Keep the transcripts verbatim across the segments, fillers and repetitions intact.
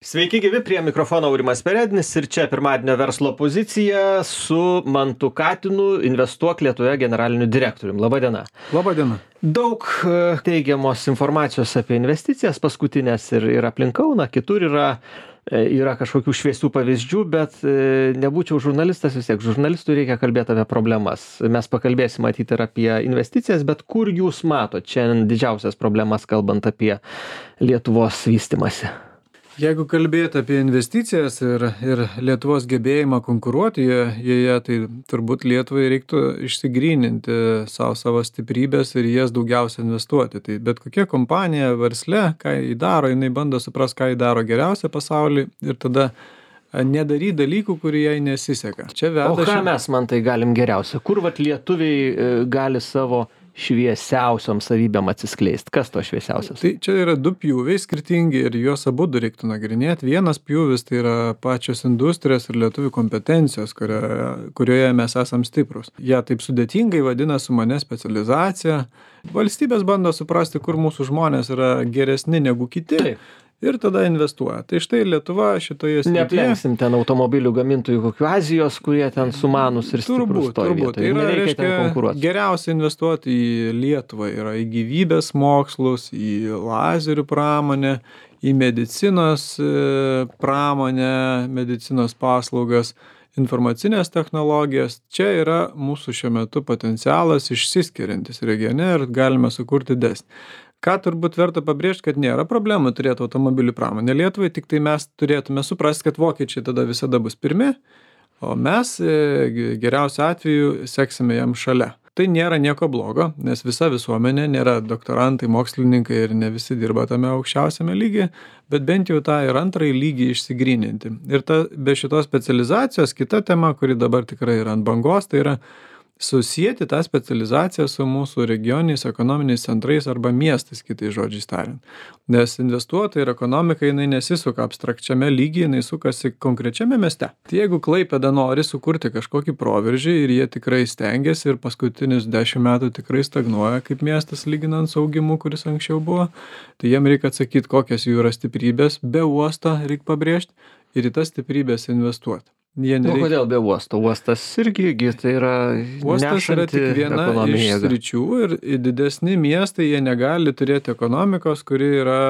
Sveiki gyvi, prie mikrofono Aurimas Perednis ir čia pirmadienio verslo pozicija su Mantu Katinu, Investuok Lietuvoje generaliniu direktoriumi. Labą dieną. Labą dieną. Daug teigiamos informacijos apie investicijas paskutinės ir, ir aplink Kauną, kitur yra, yra kažkokių šviesių pavyzdžių, bet nebūčiau žurnalistas, vis tiek žurnalistui reikia kalbėti apie problemas. Mes pakalbėsim matyti ir apie investicijas, bet kur jūs matot čia didžiausias problemas, kalbant apie Lietuvos vystimąsi? Jeigu kalbėti apie investicijas ir, ir Lietuvos gebėjimą konkuruoti joje, tai turbūt Lietuvai reiktų išsigryninti savo, savo stiprybės ir jas daugiausia investuoti. Tai bet kokia kompanija versle, ką jį daro, jinai bando supras, ką jį daro geriausia pasaulyje ir tada nedaryti dalykų, kurie jai nesiseka. Čia veda o ką ši... mes, man tai galim geriausia? Kur vat lietuviai gali savo šviesiausiom savybėm atsiskleisti? Kas to šviesiausias? Tai čia yra du pjūviai skirtingi ir juos abu reiktų nagrinėti. Vienas pjūvis tai yra pačios industrijos ir lietuvių kompetencijos, kurioje, kurioje mes esam stiprus. Jie taip sudėtingai vadina sumane specializacija. Valstybės bando suprasti, kur mūsų žmonės yra geresni negu kiti. Taip. Ir tada investuoja. Tai štai Lietuva šitoje srityje. Neaplenksim ten automobilių gamintojų kokių Azijos, kurie ten sumanus ir stiprus turbūt, toj turbūt. vietoj. Yra, nereikia reiškia, ten konkuruoti. Geriausia investuoti į Lietuvą yra į gyvybės mokslus, į lazerių pramonę, į medicinos pramonę, medicinos paslaugas, informacinės technologijas. Čia yra mūsų šiuo metu potencialas išsiskiriantis regione ir galime sukurti didesnį. Ką turbūt verta pabrėžti, kad nėra problemų turėti automobilių pramonę Lietuvai, tik tai mes turėtume suprasti, kad vokiečiai tada visada bus pirmi, o mes geriausiu atveju seksime jam šalia. Tai nėra nieko blogo, nes visa visuomenė nėra doktorantai, mokslininkai ir ne visi dirba tame aukščiausiame lygyje, bet bent jau tą ir antrąjį lygį išsigryninti. Ir ta, be šitos specializacijos kita tema, kuri dabar tikrai yra ant bangos, tai yra susijęti tą specializaciją su mūsų regioniniais ekonominiais centrais arba miestais, kitais žodžiais tariant. Nes investuotojai ir ekonomika, jinai nesisuka abstrakčiame lygyje, jinai sukasi konkrečiame mieste. Tai jeigu Klaipėda nori sukurti kažkokį proveržį ir jie tikrai stengiasi ir paskutinius dešimt metų tikrai stagnuoja kaip miestas lyginant su augimu, kuris anksčiau buvo, tai jiem reikia atsakyti, kokios jų yra stiprybės, be uosto reikia pabrėžti ir į tas stiprybės investuoti. Nereikia... O kodėl be uosto? Uostas irgi tai yra Uostas yra tik viena iš sričių ir didesni miestai, jie negali turėti ekonomikos, kuri yra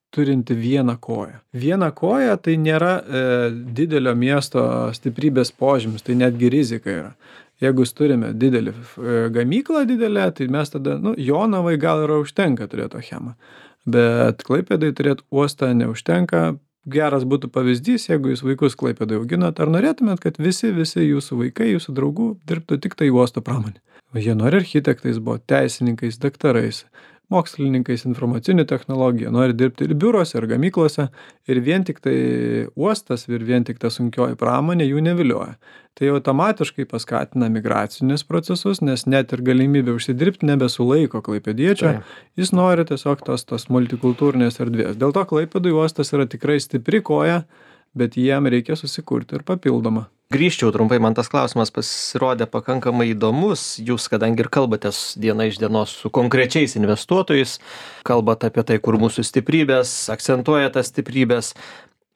turinti vieną koją. Viena koja tai nėra e, didelio miesto stiprybės požymis, tai netgi rizika yra. Jeigu turime didelį e, gamyklą didelę, tai mes tada, nu, Jonavai gal yra užtenka turėti achemą, bet Klaipėdai turėti uostą neužtenka. Geras būtų pavyzdys, jeigu jūs vaikus Klaipėdai auginat, ar norėtumėt, kad visi, visi jūsų vaikai, jūsų draugų dirbtų tik tai uosto pramonė. Jie nori architektais, buvo teisininkais, daktarais, mokslininkais, informacinių technologijų, nori dirbti ir biurose, ir gamyklose, ir vien tik tai uostas, ir vien tik ta sunkioji pramonė jų nevilioja. Tai automatiškai paskatina migracinius procesus, nes net ir galimybė užsidirbti nebesulaiko klaipėdiečio, jis nori tiesiog tos, tos multikultūrinės erdvės. Dėl to Klaipėdui uostas yra tikrai stipri koja, bet jiem reikia susikurti ir papildomą. Grįžčiau trumpai, man tas klausimas pasirodė pakankamai įdomus. Jūs, kadangi ir kalbatės diena iš dienos su konkrečiais investuotojais, kalbat apie tai, kur mūsų stiprybės, akcentuoja tas stiprybės,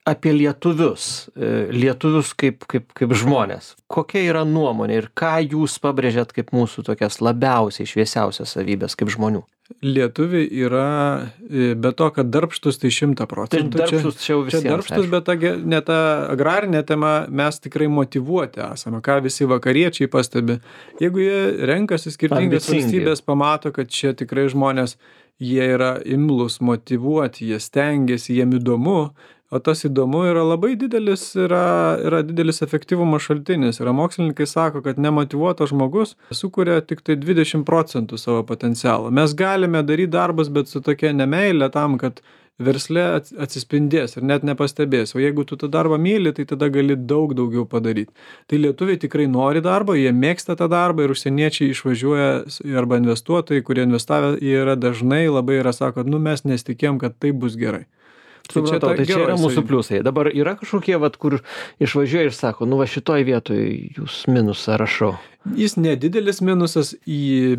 apie lietuvius, lietuvius kaip, kaip, kaip žmonės. Kokia yra nuomonė ir ką jūs pabrėžėt kaip mūsų tokias labiausiai šviesiausias savybės kaip žmonių? Lietuviai yra, be to, kad darbštus tai šimtą procentų. Tai darbštus čia jau visiems. Čia darbštus, bet ta, ne ta agrarinė tema, mes tikrai motyvuoti esame, ką visi vakariečiai pastebi. Jeigu jie renkasi skirtingas valstybės, pamato, kad čia tikrai žmonės, jie yra imlus, motyvuoti, jie stengiasi, jiem įdomu. O tas įdomu yra labai didelis, yra, yra didelis efektyvumo šaltinis. Yra mokslininkai sako, kad nemotyvuotas žmogus sukuria tik tai dvidešimt procentų savo potencialo. Mes galime daryti darbus, bet su tokia nemeilė tam, kad versle atsispindės ir net nepastebės. O jeigu tu tą darbą myli, tai tada gali daug daugiau padaryti. Tai lietuviai tikrai nori darbo, jie mėgsta tą darbą ir užsieniečiai išvažiuoja arba investuotojai, kurie investavę, jie yra dažnai labai yra sako, nu mes nesitikėjom, kad tai bus gerai. Supratau, tai čia yra mūsų pliusai. Dabar yra kažkokie, vat, kur išvažiuoja ir sako, nu va šitoj vietoj jūs minusą rašau. Jis nedidelis minusas,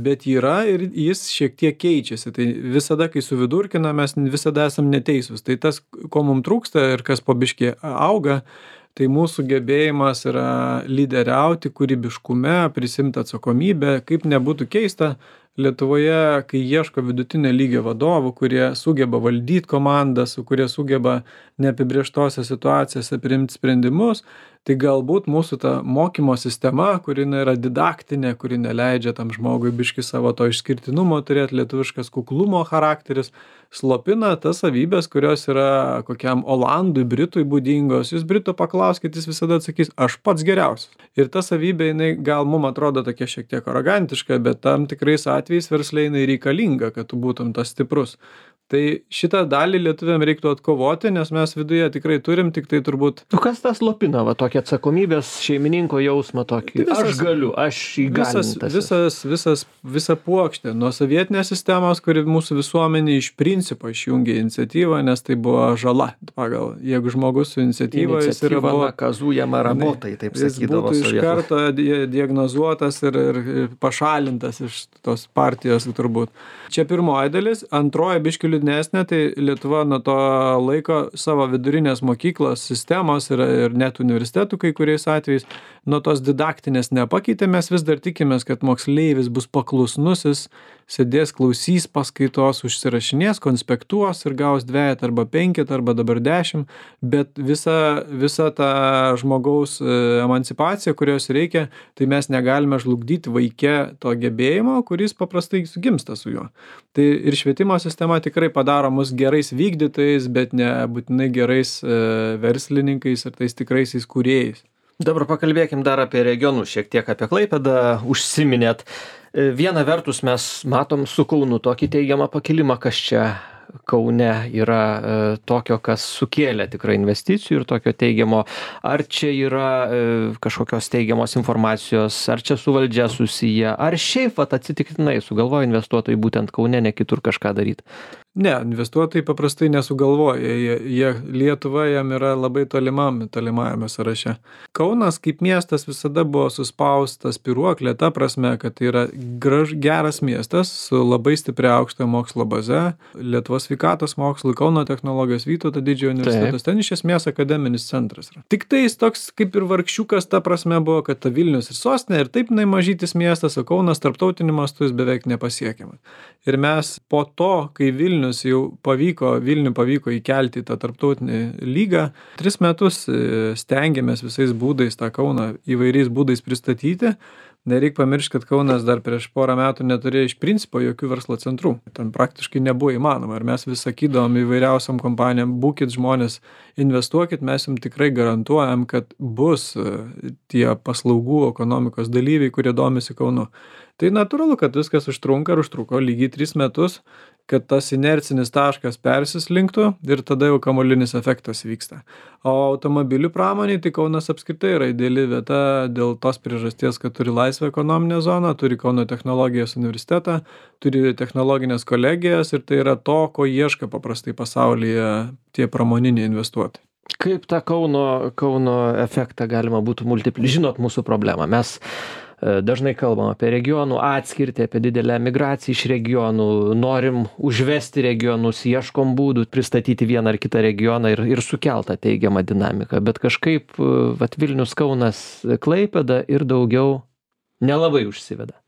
bet yra ir jis šiek tiek keičiasi. Tai visada, kai suvidurkina, mes visada esam neteisūs. Tai tas, ko mums trūksta ir kas po biškį auga, tai mūsų gebėjimas yra lyderiauti kūrybiškume, prisimti atsakomybę, kaip nebūtų keista. Lietuvoje, kai ieško vidutinio lygio vadovų, kurie sugeba valdyti komandas, kurie sugeba neapibrėžtose situacijose priimti sprendimus, tai galbūt mūsų ta mokymo sistema, kuri yra didaktinė, kuri neleidžia tam žmogui biški savo to išskirtinumo turėti, lietuviškas kuklumo charakteris, slopina tas savybės, kurios yra kokiam Olandui, Britui būdingos. Jūs Britų paklauskit, jis visada atsakys, aš pats geriausias. Ir ta savybė, jinai gal mums atrodo tokia šiek tiek arogantiška, bet tam tikrais atvejais versle jinai reikalinga, kad tu būtum tas stiprus. Tai šitą dalį lietuviam reiktų atkovoti, nes mes viduje tikrai turim, tik tai turbūt... Nu kas tas slopina, va tokia atsakomybės šeimininko jausmą tokį? Tai visas, aš galiu, aš įgalintas. Visas, visas, visa puokštė nuo sovietinės sistemos, kuri mūsų visuomenė iš principo išjungė iniciatyvą, nes tai buvo žala. Pagal, jeigu žmogus su iniciatyva, jis yra... Iniciatyva nakazujama rabotai, taip sakydavo sovietų. Jis būtų iš karto diagnozuotas ir, ir pašalintas iš tos partijos turbūt. Čia pirmoji dalis, antroji biškių liūdnesnė, tai Lietuva nuo to laiko savo vidurinės mokyklos sistemos ir, ir net universitetų kai kuriais atvejais nuo tos didaktinės nepakeitė. Mes vis dar tikimės, kad moksleivis bus paklusnusis, sėdės, klausys paskaitos, užsirašinės, konspektuos ir gaus dvejet arba penkit arba dabar dešimt, bet visa, visa ta žmogaus emancipacija, kurios reikia, tai mes negalime žlugdyti vaike to gebėjimo, kuris paprastai sugimsta su juo. Tai ir švietimo sistema tikrai padaro mus gerais vykdytojais, bet ne būtinai gerais e, verslininkais ir tais tikraisiais kūrėjais. Dabar pakalbėkim dar apie regionus, šiek tiek apie Klaipėdą užsiminėt. Viena vertus mes matom su Kaunu tokį teigiamą pakilimą, kas čia Kaune yra e, tokio, kas sukėlė tikrai investicijų ir tokio teigiamo. Ar čia yra e, kažkokios teigiamos informacijos, ar čia su valdžia susiję, ar šiaip vat, atsitiktinai sugalvoja investuotojai būtent Kaune, ne kitur kažką daryti? Ne, investuotojai paprastai nesugalvoja, jie, jie Lietuva jam yra labai tolimam, tolimajame sąraše. Kaunas kaip miestas visada buvo suspaustas spyruoklė, ta prasme, kad tai yra graž, geras miestas su labai stipria aukštojo mokslo baze, Lietuvos sveikatos mokslų, Kauno technologijos, Vytauto didžiojo universitetas, ten iš esmės akademinis centras yra. Tik tai jis toks kaip ir vargšiukas, ta prasme buvo, kad ta Vilnius ir sostinė ir taip jinai mažytis miestas, o Kaunas tarptautiniu mastu jis beveik nepasiekiamas. Ir mes po to, kai Vilnius jau pavyko, Vilnių pavyko įkelti į tą tarptautinį lygą, tris metus stengiamės visais būdais tą Kauną įvairiais būdais pristatyti. Nereik pamiršti, kad Kaunas dar prieš porą metų neturėjo iš principo jokių verslo centrų. Ten praktiškai nebuvo įmanoma. Ir mes vis sakydavom įvairiausiam kompanijam, būkit žmonės, investuokit, mes jums tikrai garantuojam, kad bus tie paslaugų ekonomikos dalyviai, kurie domisi Kaunu. Tai natūralu, kad viskas užtrunka ir užtruko lygiai tris metus, kad tas inercinis taškas persislinktų ir tada jau kamuolinis efektas vyksta. O automobilių pramoniai, tai Kaunas apskritai yra ideali vieta dėl tos priežasties, kad turi laisvą ekonominę zoną, turi Kauno technologijos universitetą, turi technologinės kolegijas ir tai yra to, ko ieška paprastai pasaulyje tie pramoniniai investuotojai. Kaip tą Kauno, Kauno efektą galima būtų multipliuoti? Žinot mūsų problemą. Mes dažnai kalbam apie regionų atskirtį, apie didelę migraciją iš regionų, norim užvesti regionus, ieškom būdų pristatyti vieną ar kitą regioną ir, ir sukeltą teigiamą dinamiką, bet kažkaip vat, Vilnius, Kaunas, Klaipėda ir daugiau nelabai užsiveda.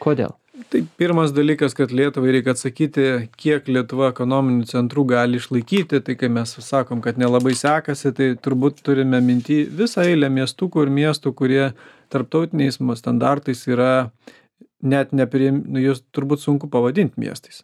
Kodėl? Tai pirmas dalykas, kad Lietuvai reikia atsakyti, kiek Lietuva ekonominių centrų gali išlaikyti, tai kai mes sakom, kad nelabai sekasi, tai turbūt turime minty visą eilę miestukų ir miestų, kurie tarptautiniais standartais yra net nepriim, nu, jūs turbūt sunku pavadinti miestais.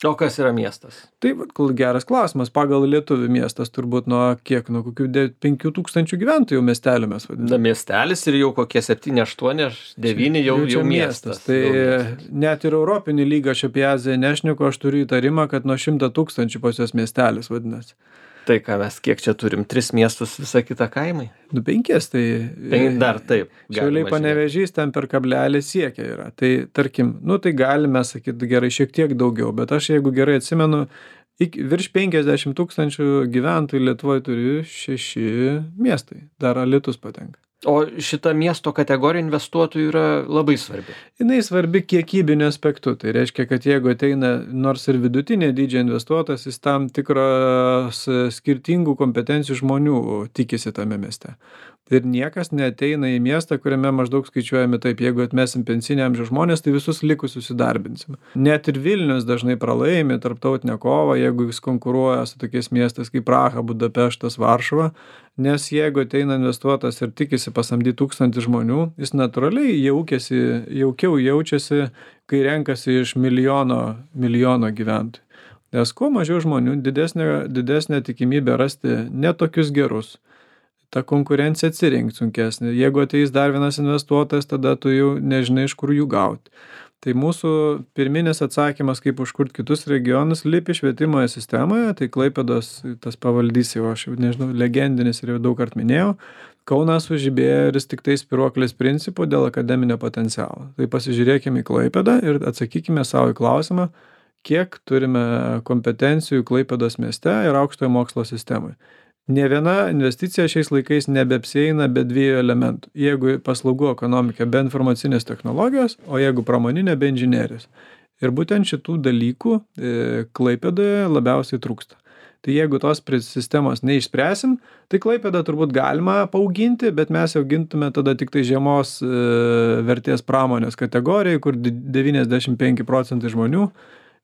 O kas yra miestas? Tai geras klausimas. Pagal lietuvių miestas turbūt nuo kiek, nuo kokių penkių tūkstančių gyventojų miestelio mes vadiname. Na, miestelis ir jau kokie septyni, aštuoni, devyni jau, jau, jau miestas. Tai jau miestas. Net ir europinį lygą aš apie Aziją nešneku, aš turiu įtarimą, kad nuo šimto tūkstančių pas jos miestelis vadinasi. Tai ką mes, kiek čia turim? Tris miestus, visą kitą kaimai? Nu, penkis, tai... Penk, dar taip. Šiauliai Panevėžys ten per kablelį siekia yra. Tai tarkim, nu tai galime sakyti gerai šiek tiek daugiau, bet aš jeigu gerai atsimenu, iki virš penkiasdešim tūkstančių gyventojų Lietuvoj turi šeši miestai, dar Alytus patenka. O šita miesto kategorija investuotojų yra labai svarbi. Jinai svarbi kiekybiniu aspektu. Tai reiškia, kad jeigu ateina nors ir vidutinė dydžio investuotojas, jis tam tikros skirtingų kompetencijų žmonių tikisi tame mieste. Ir niekas neateina į miestą, kuriame maždaug skaičiuojami taip, jeigu atmesim pensinį amžiaus žmonės, tai visus likusius įdarbinsim. Net ir Vilnius dažnai pralaimi tarptautinę kovą, jeigu jis konkuruoja su tokiais miestais kaip Praha, Budapeštas, Varšuva, nes jeigu ateina investuotas ir tikisi pasamdyti tūkstantį žmonių, jis natūraliai jaukiasi, jaukiau jaučiasi, kai renkasi iš milijono, milijono gyventojų. Nes kuo mažiau žmonių, didesnė, didesnė tikimybė rasti netokius gerus. Ta konkurencija atsirinkt sunkesnė. Jeigu ateis dar vienas investuotojas, tada tu jau nežinai, iš kur jų gauti. Tai mūsų pirminis atsakymas, kaip užkurt kitus regionus, lypi švietimo sistemoje, tai Klaipėdos tas pavaldys jau, aš jau nežinau, legendinis ir jau daug kart minėjau. Kaunas sužibėjo ir jis tik tai spyruoklės principų dėl akademinio potencialo. Tai pasižiūrėkime į Klaipėdą ir atsakykime savo į klausimą, kiek turime kompetencijų Klaipėdos mieste ir aukštojo mokslo sistemai. Ne viena investicija šiais laikais nebeapsieina be dviejų elementų. Jeigu paslaugų ekonomika, be informacinės technologijos, o jeigu pramoninė, be inžinerijos. Ir būtent šitų dalykų e, Klaipėdoje labiausiai trūksta. Tai jeigu tos sistemos neišspręsim, tai Klaipėdą turbūt galima paauginti, bet mes jau gintume tada tik tai žemos e, vertės pramonės kategorijai, kur devyniasdešim penki procentai žmonių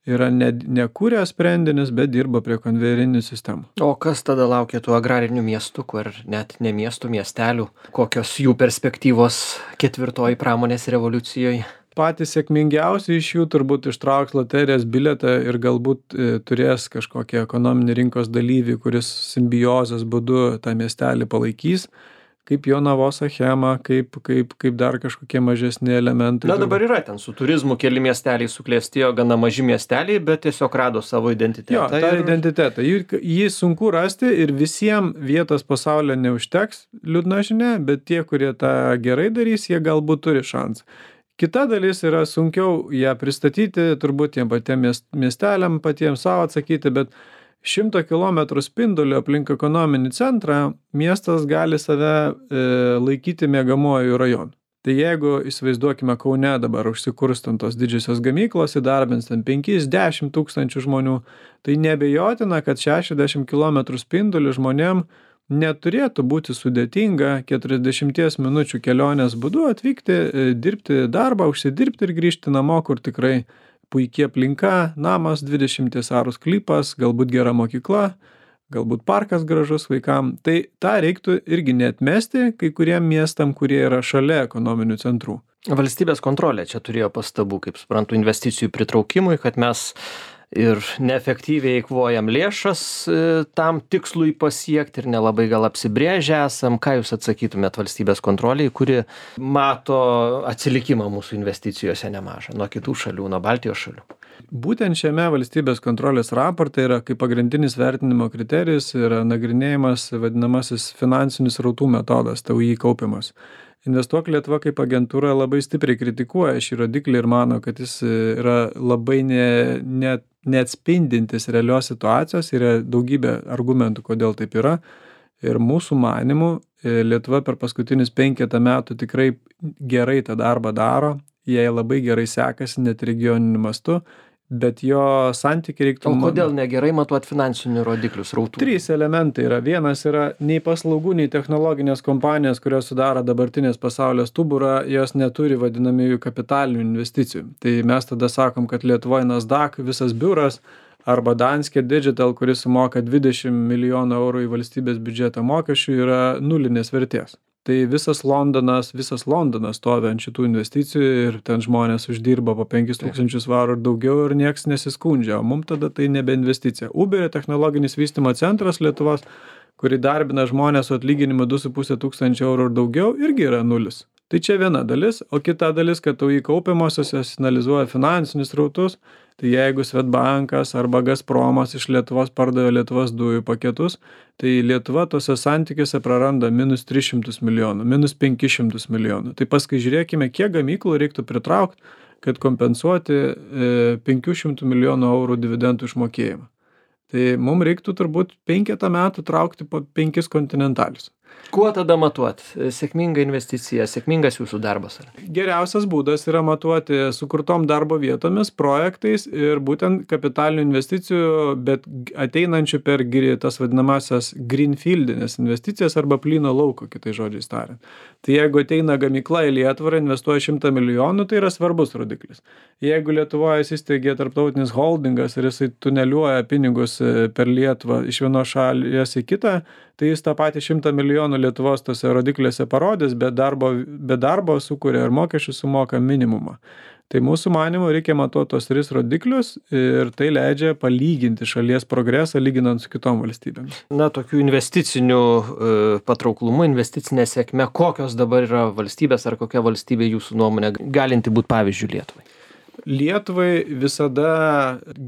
yra ne, nekūrę sprendinius, bet dirba prie konvejerinių sistemų. O kas tada laukia tų agrarinių miestų, kur net ne miestų, miestelių? Kokios jų perspektyvos ketvirtoji pramonės revoliucijoje? Patys sėkmingiausi iš jų turbūt ištrauks loterijos bilietą ir galbūt e, turės kažkokį ekonominį rinkos dalyvį, kuris simbiozės būdu tą miestelį palaikys. Kaip Jonavos Achema, kaip, kaip, kaip dar kažkokie mažesni elementai. Na dabar yra ten su turizmu keli miesteliai suklestėjo, gana maži miesteliai, bet tiesiog rado savo identitetą. Jo, tą ir... identitetą. Jį, jį sunku rasti ir visiems vietos pasaulyje neužteks, liūdna žinia, bet tie, kurie tą gerai darys, jie galbūt turi šansą. Kita dalis yra sunkiau ją pristatyti, turbūt tiem patiem miesteliam, patiems savo atsakyti, bet šimto kilometrų spinduliu aplink ekonominį centrą miestas gali save e, laikyti miegamuoju rajonu. Tai jeigu įsivaizduokime Kaune dabar užsikurstant tos didžiosios gamyklos, įdarbins ten penki dešimt tūkstančių žmonių, tai nebejotina, kad šešiasdešim kilometrų spinduliu žmonėm neturėtų būti sudėtinga keturiasdešimties minučių kelionės būdu atvykti, e, dirbti darbą, užsidirbti ir grįžti namo, kur tikrai puikiai aplinka, namas, dvidešimties arų sklypas, galbūt gera mokykla, galbūt parkas gražus vaikam. Tai tą reiktų irgi neatmesti kai kuriem miestam, kurie yra šalia ekonominių centrų. Valstybės kontrolė čia turėjo pastabų, kaip suprantu, investicijų pritraukimui, kad mes ir neefektyviai eikvojam lėšas tam tikslui pasiekti ir nelabai gal apsibrėžę esam. Ką jūs atsakytumėt valstybės kontroliai, kuri mato atsilikimą mūsų investicijose nemažą nuo kitų šalių, nuo Baltijos šalių? Būtent šiame valstybės kontrolės raporte yra kaip pagrindinis vertinimo kriterijus yra nagrinėjimas vadinamasis finansinis srautų metodas, T U I kaupimas. Investuok Lietuva kaip agentūra labai stipriai kritikuoja šį rodiklį ir mano, kad jis yra labai ne, ne, neatspindintis realios situacijos, yra daugybė argumentų, kodėl taip yra. Ir mūsų manimų Lietuva per paskutinius penketą metų tikrai gerai tą darbą daro, jai labai gerai sekasi net regioniniu mastu, bet jo santykiai reiktų... O kodėl negerai matuot finansinių rodiklių srautų? Trys elementai yra. Vienas yra nei paslaugų, nei technologinės kompanijos, kurios sudaro dabartinės pasaulio stuburą, jos neturi vadinamųjų kapitalinių investicijų. Tai mes tada sakom, kad Lietuvoje Nasdaq visas biuras arba Danske Digital, kuris sumoka dvidešimt milijonų eurų į valstybės biudžetą mokesčių, yra nulinės vertės. Tai visas Londonas, visas Londonas stovi ant šitų investicijų ir ten žmonės uždirba po penkis tūkstančius svarų ir daugiau ir nieks nesiskundžia, o mums tada tai nebe investicija. Uberio technologinis vystymo centras Lietuvos, kuri darbina žmonės su atlyginimu du su puse tūkstančio eurų ir daugiau, irgi yra nulis. Tai čia viena dalis, o kita dalis, kad T U I kaupiamosios jos analizuoja finansinius srautus, tai jeigu Swedbankas arba Gazpromas iš Lietuvos pardavė Lietuvos dujų paketus, tai Lietuva tose santykiuose praranda minus tris šimtus milijonų, minus penkis šimtus milijonų. Tai paskui žiūrėkime, kiek gamyklų reiktų pritraukti, kad kompensuoti e, penkių šimtų milijonų eurų dividendų išmokėjimą. Tai mums reiktų turbūt penketą metų traukti po penkis kontinentalius. Kuo tada matuot? Sėkminga investicija, sėkmingas jūsų darbas? Ar? Geriausias būdas yra matuoti sukurtom darbo vietomis, projektais ir būtent kapitalinių investicijų, bet ateinančių per tas vadinamasias greenfieldinės investicijas arba plyno lauko, kitai žodžiais tariant. Tai jeigu ateina gamykla į Lietuvą ir investuoja šimtą milijonų, tai yra svarbus rodiklis. Jeigu Lietuvoje įsisteigė tarptautinis holdingas ir jisai tuneliuoja pinigus per Lietuvą iš vienos šalies į kitą, tai jis tą patį šimtą milijonų Lietuvos tose rodikliuose parodys, bet darbo, bet darbo sukuria ir mokesčių sumoka minimumą. Tai mūsų manymu reikia matuoti tos tris rodiklius ir tai leidžia palyginti šalies progresą lyginant su kitom valstybėmis. Na, tokių investicinių e, patrauklumų, investicinė sėkmė, kokios dabar yra valstybės ar kokia valstybė jūsų nuomonė galinti būti pavyzdžių Lietuvai? Lietuvai visada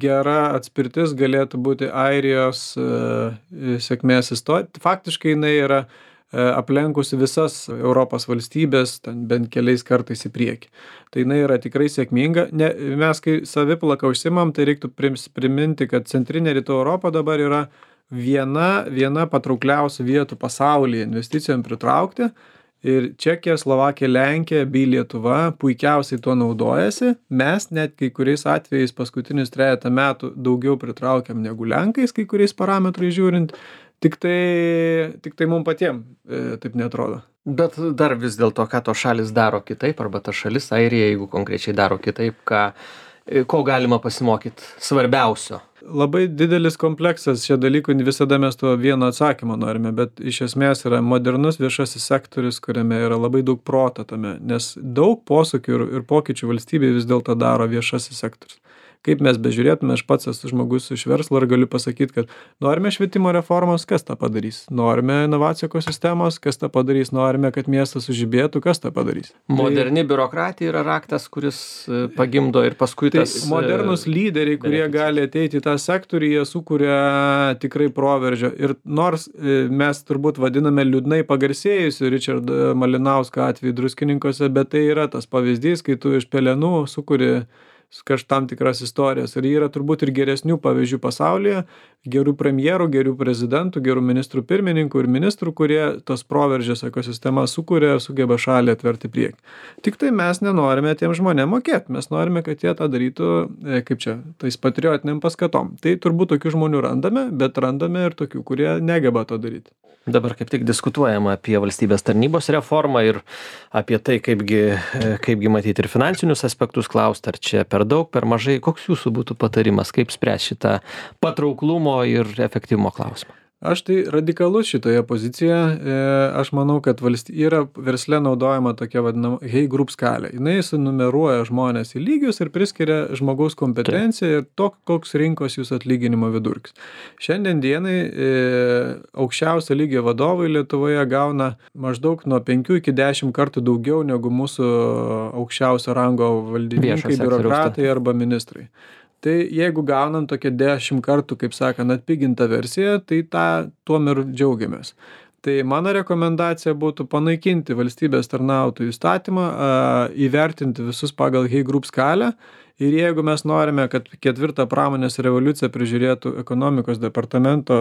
gera atspirtis galėtų būti Airijos e, sėkmės istorija. Faktiškai jinai yra e, aplenkusi visas Europos valstybės, ten bent keliais kartais į priekį. Tai jinai yra tikrai sėkminga. Ne, mes kai saviplaka užsimam, tai reiktų priminti, kad centrinė Rytų Europa dabar yra viena, viena patraukliausių vietų pasaulyje investicijom pritraukti. Ir Čekija, Slovakija, Lenkija bei Lietuva puikiausiai tuo naudojasi. Mes net kai kuriais atvejais paskutinius trejatą metų daugiau pritraukiam negu Lenkais, kai kuriais parametrais žiūrint. Tik tai, tik tai mums patiems e, taip netrodo. Bet dar vis dėlto, ką to šalis daro kitaip, arba ta šalis Airija, jeigu konkrečiai daro kitaip, ką, ko galima pasimokyti svarbiausio? Labai didelis kompleksas šie dalykų, visada mes to vieno atsakymo norime, bet iš esmės yra modernus viešasis sektorius, kuriame yra labai daug proto tame, nes daug posūkių ir, ir pokyčių valstybėje vis dėlto daro viešasis sektorius. Kaip mes bežiūrėtume, aš pats esu žmogus iš verslo ir galiu pasakyti, kad norime švietimo reformos, kas tą padarys? Norime inovacijų ekosistemos, kas tą padarys? Norime, kad miestas sužibėtų, kas tą padarys? Moderni tai, biurokratija yra raktas, kuris pagimdo ir paskui tai tas... Modernus lyderiai, kurie beneficija. Gali ateiti į tą sektorių, jie sukuria tikrai proveržio. Ir nors mes turbūt vadiname liūdnai pagarsėjusiu Richardo Malinausko atveju Druskininkose, bet tai yra tas pavyzdys, kai tu iš pelenų sukuri kažkam tikras istorijas. Ir yra turbūt ir geresnių pavyzdžių pasaulyje, gerų premjerų, gerų prezidentų, gerų ministrų pirmininkų ir ministrų, kurie tos proveržės ekosistemas sukuria ir sugeba šalį atverti priekį. Tik tai mes nenorime tiem žmonėm mokėti, mes norime, kad jie tą darytų, kaip čia, tais patriotiniam paskatom. Tai turbūt tokių žmonių randame, bet randame ir tokių, kurie negeba to daryti. Dabar kaip tik diskutuojama apie valstybės tarnybos reformą ir apie tai, kaipgi, kaipgi matyti ir finansinius aspektus klausti, ar čia per daug, per mažai. Koks jūsų būtų patarimas, kaip spręs šitą patrauklumo ir efektyvumo klausimą? Aš tai radikalus šitoje pozicijoje. Aš manau, kad valsty... yra versle naudojama tokia vadinama Hey Group skalė. Jis sunumeruoja žmonės į lygius ir priskiria žmogaus kompetenciją ir to, koks rinkos jūsų atlyginimo vidurkis. Šiandien dienai e, aukščiausio lygio vadovai Lietuvoje gauna maždaug nuo penkių iki dešimt kartų daugiau negu mūsų aukščiausio rango valdininkai, biurokratai arba ministrai. Tai jeigu gaunam tokią dešimt kartų, kaip sakant, atpigintą versiją, tai tą tuom ir džiaugiamės. Tai mano rekomendacija būtų panaikinti valstybės tarnautojų įstatymą, įvertinti visus pagal Hey Group skalę. Ir jeigu mes norime, kad ketvirtą pramonės revoliuciją prižiūrėtų ekonomikos departamento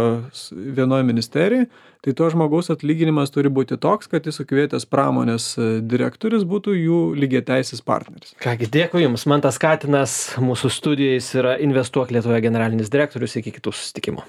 vienoje ministerijai, tai to žmogaus atlyginimas turi būti toks, kad jis sukvietęs pramonės direktorius būtų jų lygiateisis partneris. Kągi, dėkui Jums. Mantas Katinas mūsų studijais yra Investuok Lietuvoje generalinis direktorius. Iki kitų susitikimų.